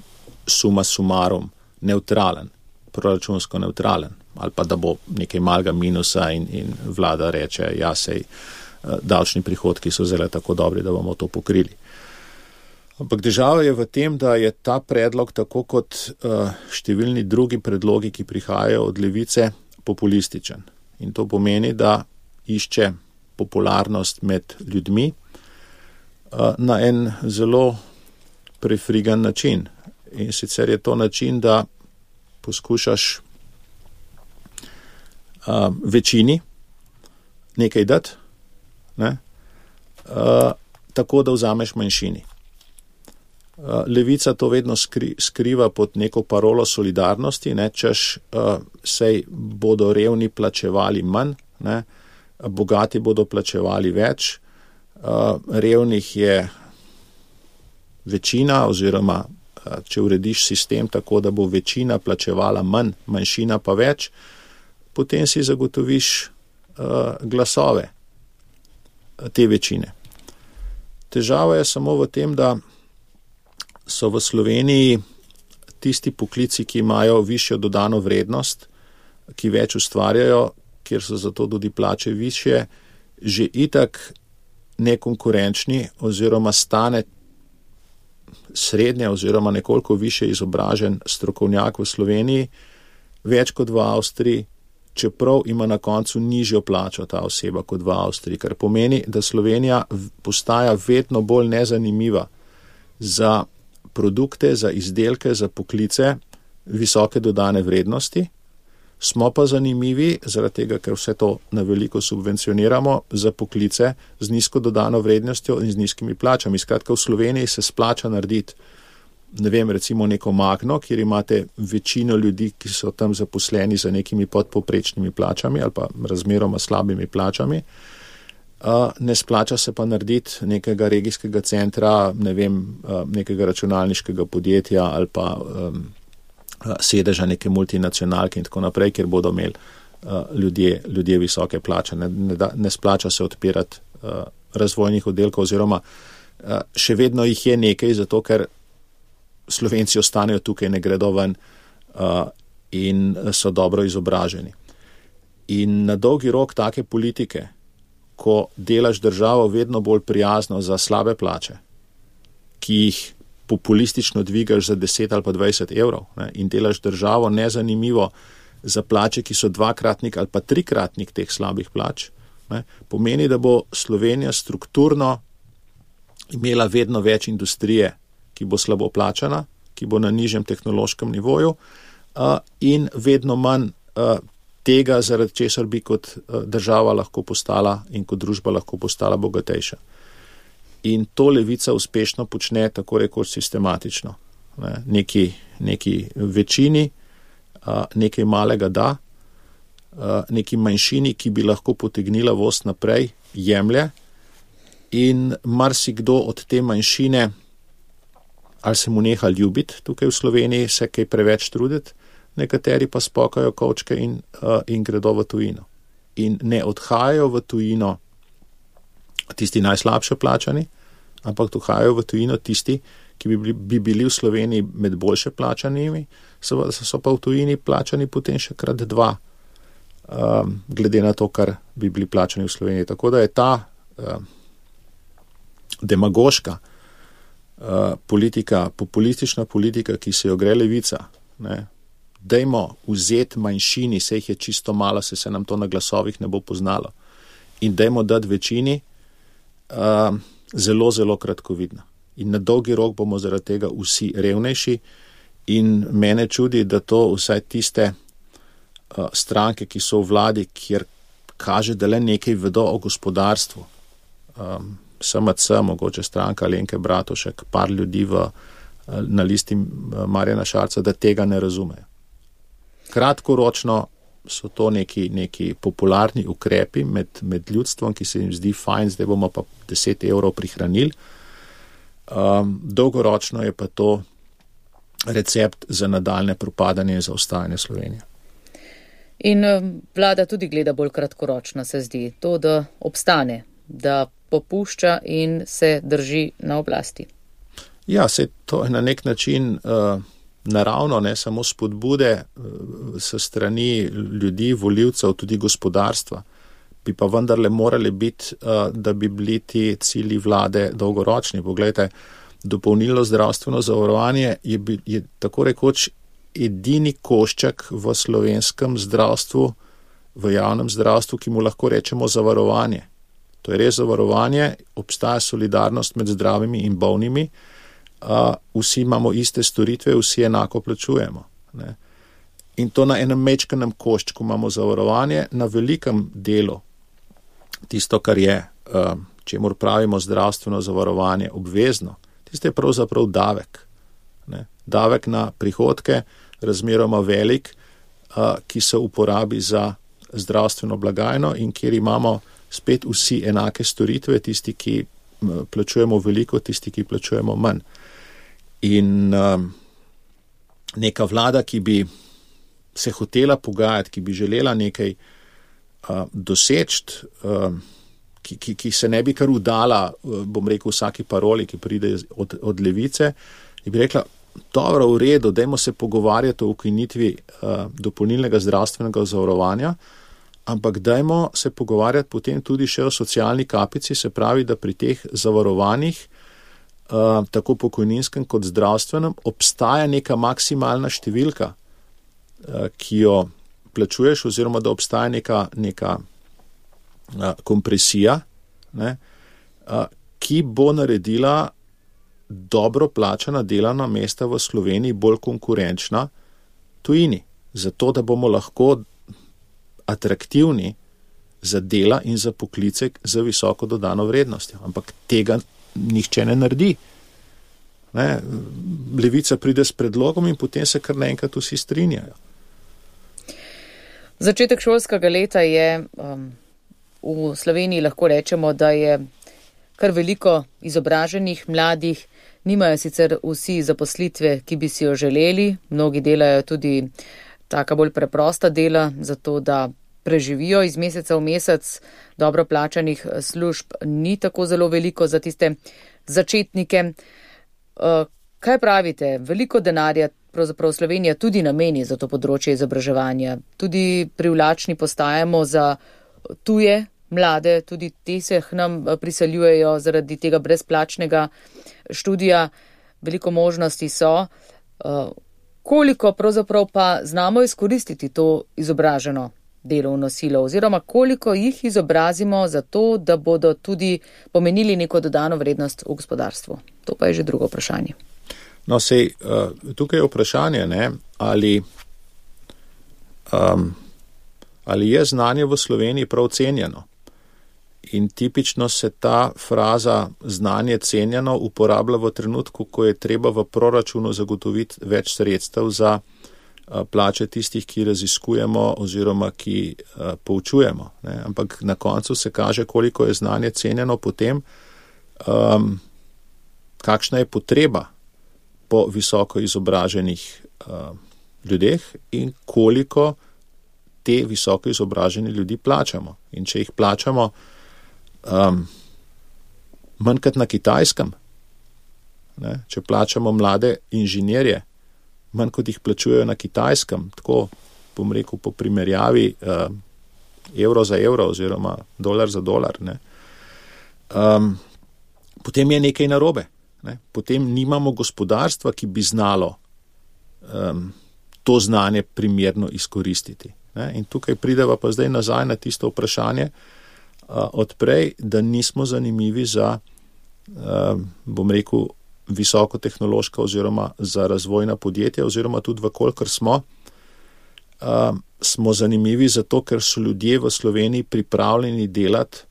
suma sumarum neutralen, proračunsko neutralen, ali pa da bo nekaj malega minusa in, in vlada reče, ja, sej davčni prihodki so zelo tako dobri, da bomo to pokrili. Ampak težava je v tem, da je ta predlog, tako kot uh, številni drugi predlogi, ki prihajajo od Levice, populističen. In to pomeni, da išče popularnost med ljudmi uh, na en zelo prefrigan način. In sicer je to način, da poskušaš uh, večini nekaj dati, ne? uh, tako da vzameš manjšini. Levica to vedno skri, skriva pod neko parolo solidarnosti, ne, češ uh, sej bodo revni plačevali manj, ne, bogati bodo plačevali več, uh, revnih je večina oziroma uh, če urediš sistem tako, da bo večina plačevala manj, manjšina pa več, potem si zagotoviš uh, glasove te večine. Težava je samo v tem, da so v Sloveniji tisti poklici, ki imajo višjo dodano vrednost, ki več ustvarjajo, kjer so zato tudi plače višje, že itak nekonkurenčni oziroma stane srednje oziroma nekoliko više izobražen strokovnjak v Sloveniji, več kot v Avstriji, čeprav ima na koncu nižjo plačo ta oseba kot v Avstriji, kar pomeni, da Slovenija postaja vedno bolj nezanimiva za produkte, za izdelke, za poklice visoke dodane vrednosti. Smo pa zanimivi, zaradi tega, ker vse to na veliko subvencioniramo, za poklice z nizko dodano vrednostjo in z nizkimi plačami. Skratka, v Sloveniji se splača narediti, ne vem, recimo neko Magno, kjer imate večino ljudi, ki so tam zaposleni za nekimi podpovprečnimi plačami ali pa razmeroma slabimi plačami. Uh, ne splača se pa narediti nekega regijskega centra, ne vem, uh, nekega računalniškega podjetja ali pa um, sedeža neke multinacionalke in tako naprej, kjer bodo imeli uh, ljudje, ljudje visoke plače. Ne, ne, da, ne splača se odpirati uh, razvojnih oddelkov oziroma uh, še vedno jih je nekaj, zato ker Slovenci ostanejo tukaj, ne gredo ven uh, in so dobro izobraženi. In na dolgi rok take politike, ko delaš državo vedno bolj prijazno za slabe plače, ki jih populistično dvigaš za deset ali pa dvajset evrov, ne, in delaš državo nezanimivo za plače, ki so dvakratnik ali pa trikratnik teh slabih plač, ne, pomeni, da bo Slovenija strukturno imela vedno več industrije, ki bo slabo plačana, ki bo na nižjem tehnološkem nivoju uh, in vedno manj uh, tega, zaradi česar bi kot uh, država lahko postala in kot družba lahko postala bogatejša. In to levica uspešno počne tako rekoč sistematično. Ne, neki, neki večini, uh, nekaj malega da, uh, neki manjšini, ki bi lahko potegnila voz naprej, jemlje in marsikdo od te manjšine ali se mu neha ljubiti tukaj v Sloveniji, se kaj preveč truditi, nekateri pa spokajo kovčke in, uh, in gredo v tujino. In ne odhajajo v tujino tisti najslabše plačani, ampak odhajajo v tujino tisti, ki bi bili, bi bili v Sloveniji med boljše plačanimi, so, so pa v tujini plačani potem še krat dva, um, glede na to, kar bi bili plačani v Sloveniji. Tako da je ta um, demagoška Uh, politika, populistična politika, ki se jo gre levica, ne, dajmo vzeti manjšini, se jih je čisto malo, se se nam to na glasovih ne bo poznalo, in dajmo dati večini, uh, zelo, zelo kratkovidna. In na dolgi rok bomo zaradi tega vsi revnejši in mene čudi, da to vsaj tiste uh, stranke, ki so v vladi, kjer kaže, da le nekaj vedo o gospodarstvu, um, S M C, mogoče stranka Alenke Bratušek, par ljudi v, na listi Marjana Šarca, da tega ne razumejo. Kratkoročno so to neki, neki popularni ukrepi med, med ljudstvom, ki se jim zdi fajn, zdaj bomo pa deset evrov prihranili. Um, dolgoročno je pa to recept za nadaljne propadanje in zaostajanje Slovenije. In vlada tudi gleda bolj kratkoročno, se zdi, to, da obstane, da popušča in se drži na oblasti. Ja, se to je na nek način uh, naravno, ne samo spodbude uh, s strani ljudi, volivcev, tudi gospodarstva, bi pa vendarle morali biti, uh, da bi bili ti cilji vlade dolgoročni. Poglejte, dopolnilno zdravstveno zavarovanje je, je tako rekoč edini košček v slovenskem zdravstvu, v javnem zdravstvu, ki mu lahko rečemo zavarovanje. To je res zavarovanje, obstaja solidarnost med zdravimi in bolnimi, uh, vsi imamo iste storitve, vsi enako plačujemo. Ne. In to na enem mečkanem koščku imamo zavarovanje, na velikem delu tisto, kar je, uh, čemur pravimo zdravstveno zavarovanje, obvezno, tisto je pravzaprav davek. Ne. Davek na prihodke, razmeroma velik, uh, ki se uporabi za zdravstveno blagajno in kjer imamo spet vsi enake storitve, tisti, ki plačujemo veliko, tisti, ki plačujemo manj. In um, neka vlada, ki bi se hotela pogajati, ki bi želela nekaj uh, doseči, uh, ki, ki, ki se ne bi kar udala, uh, bom rekel, vsaki paroli, ki pride od, od levice, in bi rekla, dobro, v redu, dajmo se pogovarjati o ukinitvi uh, dopolnilnega zdravstvenega zavarovanja, ampak dajmo se pogovarjati potem tudi še o socialni kapici, se pravi, da pri teh zavarovanjih, uh, tako pokojninskem kot zdravstvenem, obstaja neka maksimalna številka, uh, ki jo plačuješ, oziroma da obstaja neka, neka uh, kompresija, ne, uh, ki bo naredila dobro plačana delovna mesta v Sloveniji bolj konkurenčna tujini, zato da bomo lahko atraktivni za dela in za poklice za visoko dodano vrednostjo. Ampak tega nihče ne naredi. Ne? Levica pride s predlogom in potem se kar naenkrat vsi strinjajo. Začetek šolskega leta je um, v Sloveniji, lahko rečemo, da je kar veliko izobraženih mladih, nimajo sicer vsi zaposlitve, ki bi si jo želeli, mnogi delajo tudi taka bolj preprosta dela, zato da preživijo iz meseca v mesec, dobro plačanih služb ni tako zelo veliko za tiste začetnike. Kaj pravite? Veliko denarja pravzaprav Slovenija tudi nameni za to področje izobraževanja. Tudi privlačni postajamo za tuje mlade, tudi te se nam priseljujejo zaradi tega brezplačnega študija. Veliko možnosti so. Koliko pravzaprav pa znamo izkoristiti to izobraženo delovno silo oziroma koliko jih izobrazimo za to, da bodo tudi pomenili neko dodano vrednost v gospodarstvu? To pa je že drugo vprašanje. No, sej, tukaj je vprašanje, ne, ali, um, ali je znanje v Sloveniji prav cenjeno. In tipično se ta fraza znanje cenjeno uporablja v trenutku, ko je treba v proračunu zagotoviti več sredstev za plače tistih, ki raziskujemo oziroma ki uh, poučujemo. Ne. Ampak na koncu se kaže, koliko je znanje cenjeno potem, um, kakšna je potreba po visoko izobraženih uh, ljudeh in koliko te visoko izobraženi ljudi plačamo. In če jih plačamo um, manj kot na Kitajskem, ne, če plačamo mlade inženirje, manj kot jih plačujejo na Kitajskem, tako bom rekel po primerjavi uh, evro za evro oziroma dolar za dolar, ne, um, potem je nekaj narobe. Ne. Potem nimamo gospodarstva, ki bi znalo um, to znanje primerno izkoristiti. Ne. In tukaj prideva pa zdaj nazaj na tisto vprašanje uh, odprej, da nismo zanimivi za, uh, bom rekel, visokotehnološka oziroma za razvojna podjetja oziroma tudi vkolikor smo, uh, smo zanimivi zato, ker so ljudje v Sloveniji pripravljeni delati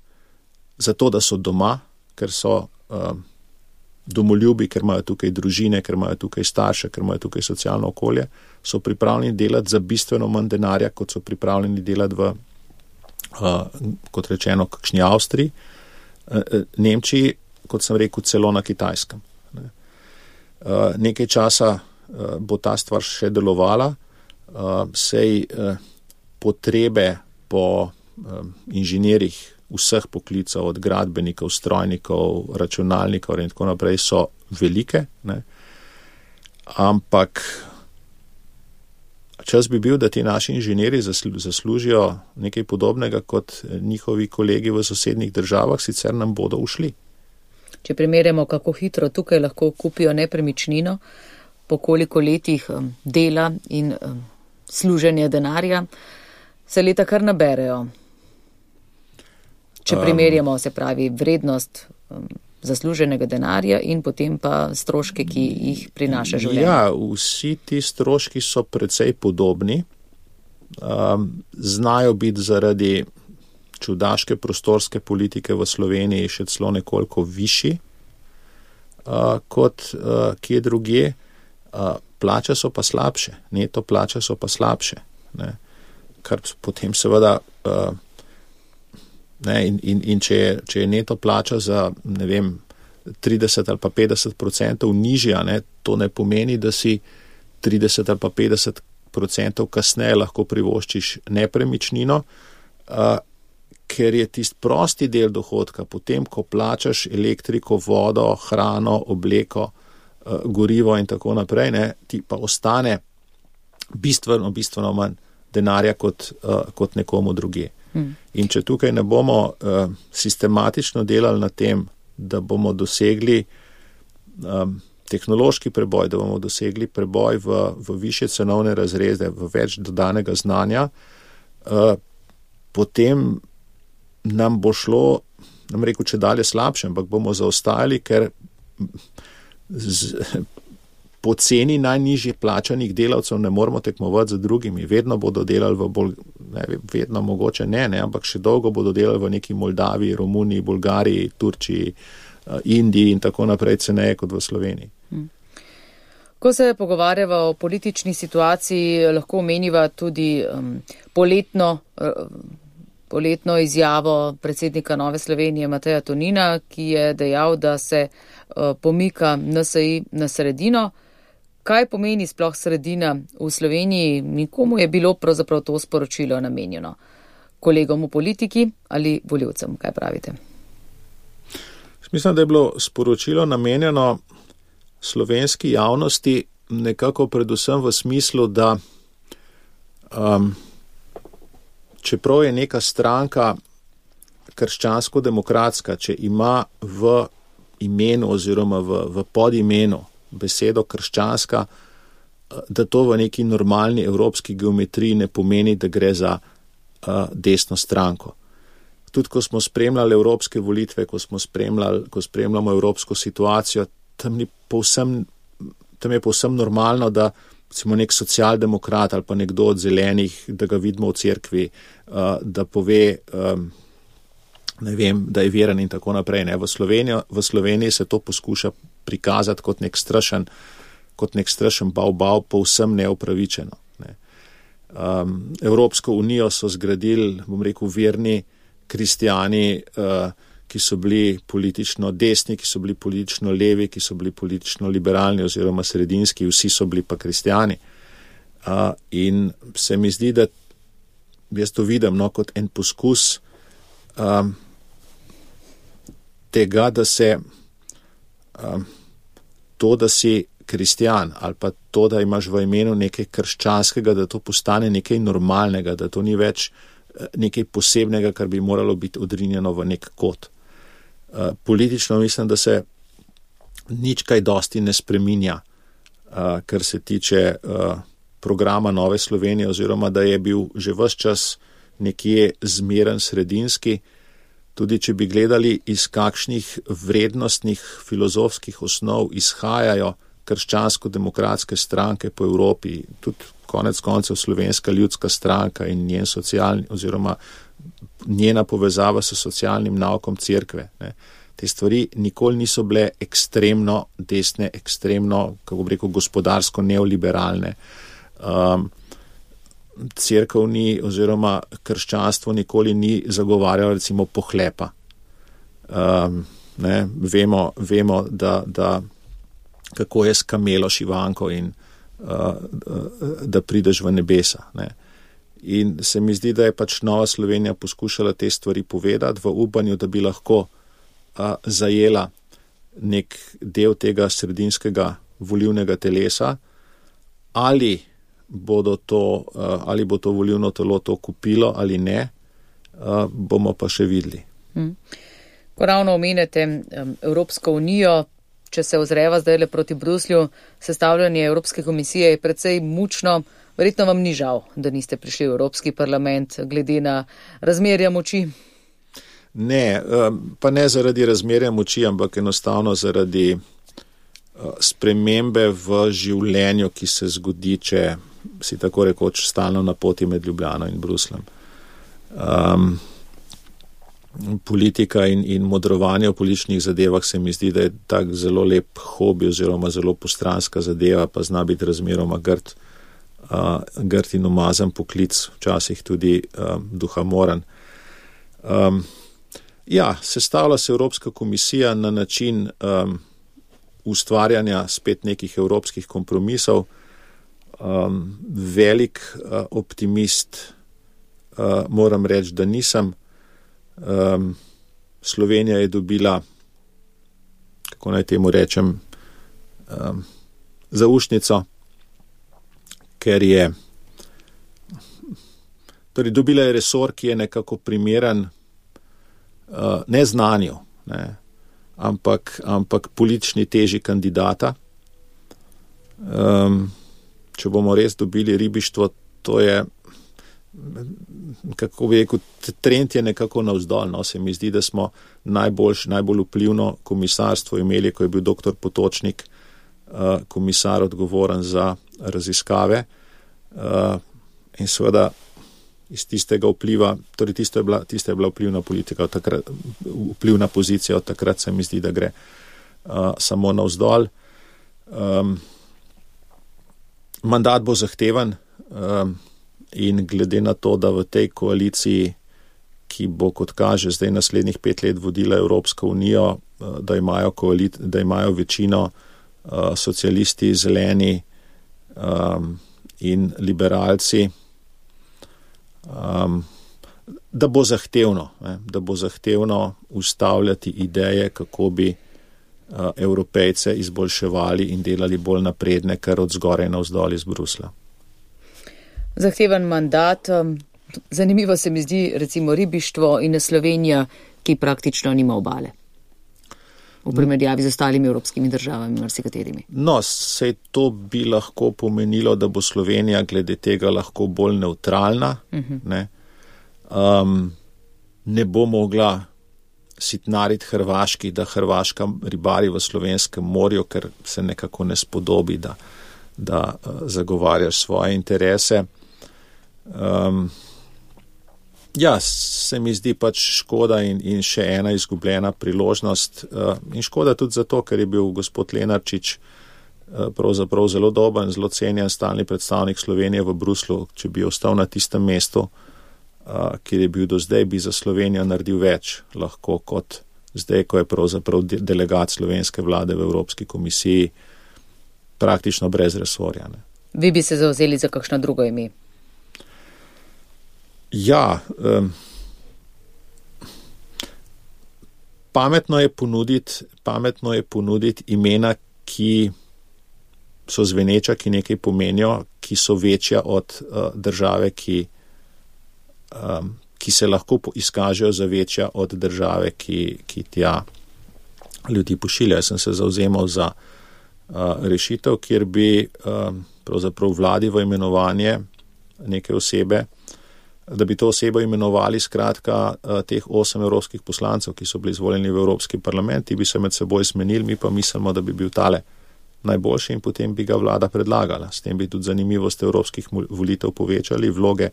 zato, da so doma, ker so uh, domoljubi, ker imajo tukaj družine, ker imajo tukaj starše, ker imajo tukaj socialno okolje, so pripravljeni delati za bistveno manj denarja, kot so pripravljeni delati v, uh, kot rečeno, kakšni Avstriji, uh, Nemčiji, kot sem rekel, celo na Kitajskem. Ne. Uh, nekaj časa uh, bo ta stvar še delovala, uh, sej uh, potrebe po uh, inženirjih vseh poklicov, od gradbenikov, strojnikov, računalnikov in tako naprej so velike, ne. Ampak čas bi bil, da ti naši inženirji zaslužijo nekaj podobnega kot njihovi kolegi v sosednjih državah, sicer nam bodo ušli. Če primerjamo, kako hitro tukaj lahko kupijo nepremičnino, po koliko letih dela in služenja denarja, se leta kar naberejo. Če primerjamo, se pravi, vrednost um, zasluženega denarja in potem pa stroške, ki jih prinaša življenje. Ja, vsi ti stroški so precej podobni. Um, znajo biti zaradi čudaške prostorske politike v Sloveniji še celo nekoliko višji uh, kot uh, kje drugje. Uh, plače so pa slabše, neto plače so pa slabše, ne? Kar potem seveda uh, Ne, in, in, in če, je, če je neto plača za, ne vem, trideset ali pa petdeset procentov nižja, ne, to ne pomeni, da si trideset ali pa petdeset procentov kasneje lahko privoščiš nepremičnino, uh, ker je tist prosti del dohodka, potem, ko plačaš elektriko, vodo, hrano, obleko, uh, gorivo in tako naprej, ne, ti pa ostane bistveno, bistveno manj denarja kot, uh, kot nekomu drugje. In če tukaj ne bomo uh, sistematično delali na tem, da bomo dosegli um, tehnološki preboj, da bomo dosegli preboj v, v više cenovne razrede, v več dodanega znanja, uh, potem nam bo šlo, nam rekel, če dalje slabše, ampak bomo zaostajali, ker z, po ceni najnižje plačanih delavcev ne moramo tekmovati z drugimi. Vedno bodo delali v bolj, ne, vedno mogoče ne, ne, ampak še dolgo bodo delali v neki Moldaviji, Romuniji, Bolgariji, Turčiji, Indiji in tako naprej ceneje kot v Sloveniji. Ko se pogovarjava o politični situaciji, lahko omeniva tudi um, poletno, uh, poletno izjavo predsednika Nove Slovenije Mateja Tonina, ki je dejal, da se uh, pomika N S I na sredino. Kaj pomeni sploh sredina v Sloveniji? Nikomu je bilo pravzaprav to sporočilo namenjeno. Kolegom v politiki ali volivcem? Kaj pravite? Mislim, da je bilo sporočilo namenjeno slovenski javnosti nekako predvsem v smislu, da um, čeprav je neka stranka krščansko-demokratska, če ima v imenu oziroma v, v podimenu besedo krščanska, da to v neki normalni evropski geometriji ne pomeni, da gre za uh, desno stranko. Tudi ko smo spremljali evropske volitve, ko smo spremljali, ko spremljamo evropsko situacijo, tam, ni povsem, tam je povsem normalno, da recimo nek socialdemokrat ali pa nekdo od zelenih, da ga vidimo v cerkvi, uh, da pove, um, ne vem, da je veren in tako naprej. Ne. V Sloveniji, v Sloveniji se to poskuša prikazati kot nek strašen, kot nek strašen bav-bav, povsem neupravičeno. Ne. Um, Evropsko unijo so zgradili, bom rekel, verni kristijani, uh, ki so bili politično desni, ki so bili politično levi, ki so bili politično liberalni oziroma sredinski, vsi so bili pa kristijani. Uh, in se mi zdi, da jaz to vidim no, kot en poskus um, tega, da se um, to, da si kristijan ali pa to, da imaš v imenu nekaj krščanskega, da to postane nekaj normalnega, da to ni več nekaj posebnega, kar bi moralo biti odrinjeno v nek kot. Uh, politično mislim, da se nič kaj dosti ne spreminja, uh, kar se tiče uh, programa Nove Slovenije, oziroma da je bil že ves čas nekje zmeren sredinski, tudi če bi gledali, iz kakšnih vrednostnih filozofskih osnov izhajajo krščansko-demokratske stranke po Evropi, tudi konec koncev Slovenska ljudska stranka in njen socialni, oziroma njena povezava s socialnim naukom cerkve. Ne. Te stvari nikoli niso bile ekstremno desne, ekstremno, kako bi rekel, gospodarsko neoliberalne. Um, cerkev ni, oziroma krščanstvo nikoli ni zagovarjalo recimo pohlepa. Um, ne, vemo, vemo da, da kako je s kamelo šivanko in uh, da prideš v nebesa. Ne. In se mi zdi, da je pač Nova Slovenija poskušala te stvari povedati v upanju, da bi lahko uh, zajela nek del tega sredinskega volilnega telesa, ali bodo to, uh, ali bo to volilno telo to kupilo ali ne, uh, bomo pa še videli. Hmm. Ko ravno omenjate um, Evropsko unijo, če se ozreva zdaj le proti Bruslju, sestavljanje Evropske komisije je precej mučno. Verjetno vam ni žal, da niste prišli v Evropski parlament glede na razmerja moči? Ne, pa ne zaradi razmerja moči, ampak enostavno zaradi spremembe v življenju, ki se zgodi, če si tako rekoč stalno na poti med Ljubljano in Brusljem. Um, politika in, in modrovanje v političnih zadevah se mi zdi, da je tak zelo lep hobi oziroma zelo postranska zadeva, pa zna biti razmeroma grd, uh, grd in umazan poklic, včasih tudi uh, duhamoren. Um, ja, sestavlja se Evropska komisija na način um, ustvarjanja spet nekih evropskih kompromisov. Um, velik uh, optimist uh, moram reči, da nisem. Um, Slovenija je dobila, kako naj temu rečem, um, zaušnico, ker je, torej dobila je resor, ki je nekako primeren uh, ne znanju, ne, ampak, ampak politični teži kandidata. Um, če bomo res dobili ribištvo, to je, kako bi rekel, trend je nekako navzdol, no, se mi zdi, da smo najbolj, najbolj vplivno komisarstvo imeli, ko je bil doktor Potočnik uh, komisar odgovoren za raziskave uh, in seveda iz tistega vpliva, torej tista je bila, tista je bila vplivna politika, od takrat, vplivna pozicija, od takrat se mi zdi, da gre uh, samo navzdol. Um, mandat bo zahteven, um, in glede na to, da v tej koaliciji, ki bo, kot kaže, zdaj naslednjih pet let vodila Evropsko unijo, da imajo, koalit, da imajo večino uh, socialisti, zeleni um, in liberalci, um, da bo zahtevno, ne, da bo zahtevno ustavljati ideje, kako bi uh, Evropejce izboljševali in delali bolj napredne, kar od zgoraj navzdol iz Brusla. Zahteven mandat. Zanimivo se mi zdi recimo ribištvo in Slovenija, ki praktično nima obale. V primerjavi z ostalimi evropskimi državami, marsikaterimi. No, sej to bi lahko pomenilo, da bo Slovenija glede tega lahko bolj nevtralna. Uh-huh. Ne? Um, ne bo mogla sitnariti Hrvaški, da Hrvaška ribari v slovenskem morju, ker se nekako ne spodobi, da, da uh, zagovarjaš svoje interese. Um, ja, se mi zdi pač škoda in, in še ena izgubljena priložnost. Uh, in škoda tudi zato, ker je bil gospod Lenarčič uh, pravzaprav zelo dober in zelo cenjen stalni predstavnik Slovenije v Bruslu. Če bi ostal na tistem mestu, uh, kjer je bil do zdaj, bi za Slovenijo naredil več lahko kot zdaj, ko je pravzaprav de- delegat slovenske vlade v Evropski komisiji praktično brez resorja. Ne. Vi bi se zavzeli za kakšno drugo ime? Ja, um, pametno je ponuditi, pametno je ponuditi imena, ki so zveneča, ki nekaj pomenijo, ki so večja od uh, države, ki, um, ki se lahko izkažejo za večja od države, ki, ki tja ljudi pošilja. Jaz sem se zavzemal za uh, rešitev, kjer bi um, pravzaprav vladi v imenovanje neke osebe, da bi to osebo imenovali skratka teh osem evropskih poslancev, ki so bili izvoljeni v Evropski parlament, ti bi se med seboj smenili, mi pa mislimo, da bi bil tale najboljši in potem bi ga vlada predlagala. S tem bi tudi zanimivost evropskih volitev povečali, vloge,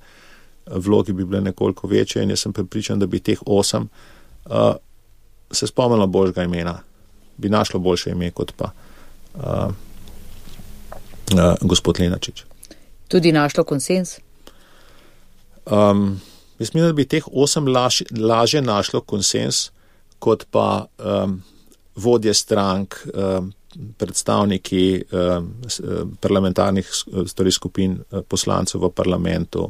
vlogi bi bile nekoliko večje in jaz sem prepričan, da bi teh osem uh, se spomnilo božjega imena, bi našlo boljše ime kot pa uh, uh, gospod Lenarčič. Tudi našlo konsens? Um, jaz mislim, da bi teh osem laž, laže našlo konsens, kot pa um, vodje strank, um, predstavniki um, parlamentarnih torej skupin poslancev v parlamentu,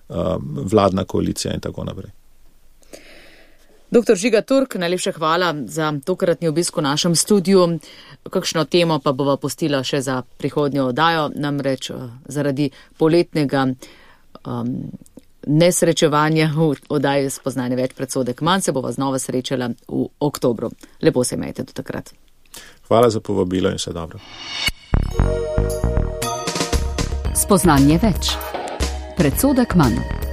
um, vladna koalicija in tako naprej. Doktor Žiga Turk, najlepša hvala za tokratni obisk v našem studiu. Kakšno temo pa bova postila še za prihodnjo oddajo, namreč uh, zaradi poletnega um, nesrečevanja v oddaji Spoznanje več predsodek manj se bova znova srečala v oktobru. Lepo se imejte do takrat. Hvala za povabilo in vse dobro. Spoznanje več. Predsodek manj.